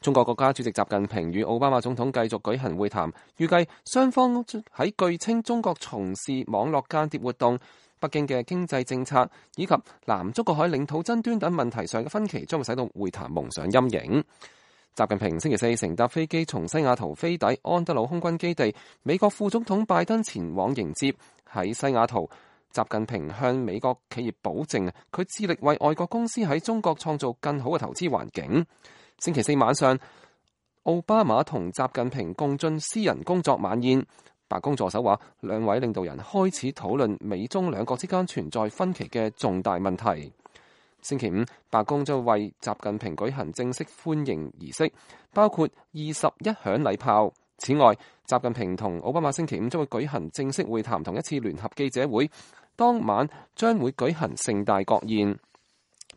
中國國家主席習近平與奧巴馬總統繼續舉行會談，預計雙方喺據稱中國從事網絡間諜活動、北京嘅經濟政策以及南中國海領土爭端等問題上嘅分歧，將會使到會談蒙上陰影。習近平星期四乘搭飛機從西雅圖飛抵安德魯空軍基地，美國副總統拜登前往迎接。喺西雅圖，習近平向美國企業保證，佢致力為外國公司喺中國創造更好嘅投資環境。星期四晚上，奧巴馬同習近平共進私人工作晚宴。白宮助手話，兩位領導人開始討論美中兩國之間存在分歧嘅重大問題。星期五，白宮將為習近平舉行正式歡迎儀式，包括21響禮炮。此外，習近平同奧巴馬星期五將會舉行正式會談同一次聯合記者會，當晚將會舉行盛大國宴。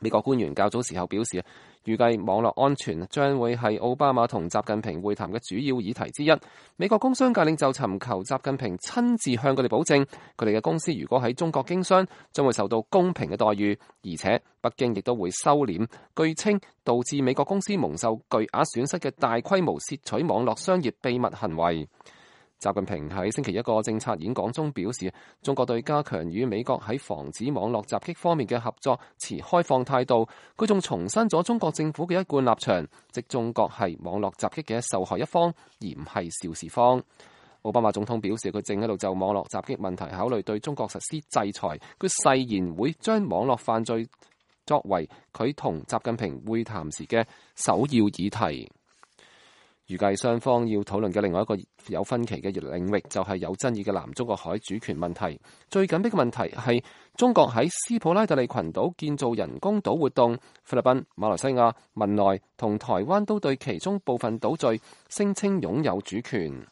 美國官員較早時候表示，預計網絡安全將會係奧巴馬同習近平會談嘅主要議題之一。美國工商界領袖尋求習近平親自向佢哋保證，佢哋嘅公司如果喺中國經商，將會受到公平嘅待遇，而且北京亦都會收斂據稱導致美國公司蒙受巨額損失嘅大規模竊取網絡商業秘密行為。習近平喺星期一個政策演講中表示，中國對加強與美國喺防止網絡襲擊方面嘅合作持開放態度。佢仲重申咗中國政府嘅一貫立場，即中國係網絡襲擊嘅受害一方，而唔係肇事方。奧巴馬總統表示，佢正喺度就網絡襲擊問題考慮對中國實施制裁。佢誓言會將網絡犯罪作為佢同習近平會談時嘅首要議題。預計雙方要討論嘅另外一個有分歧嘅領域，就係有爭議嘅南中國海主權問題。最緊迫嘅問題係中國喺斯普拉特利群島建造人工島活動，菲律賓、馬來西亞、文萊同台灣都對其中部分島嶼聲稱擁有主權。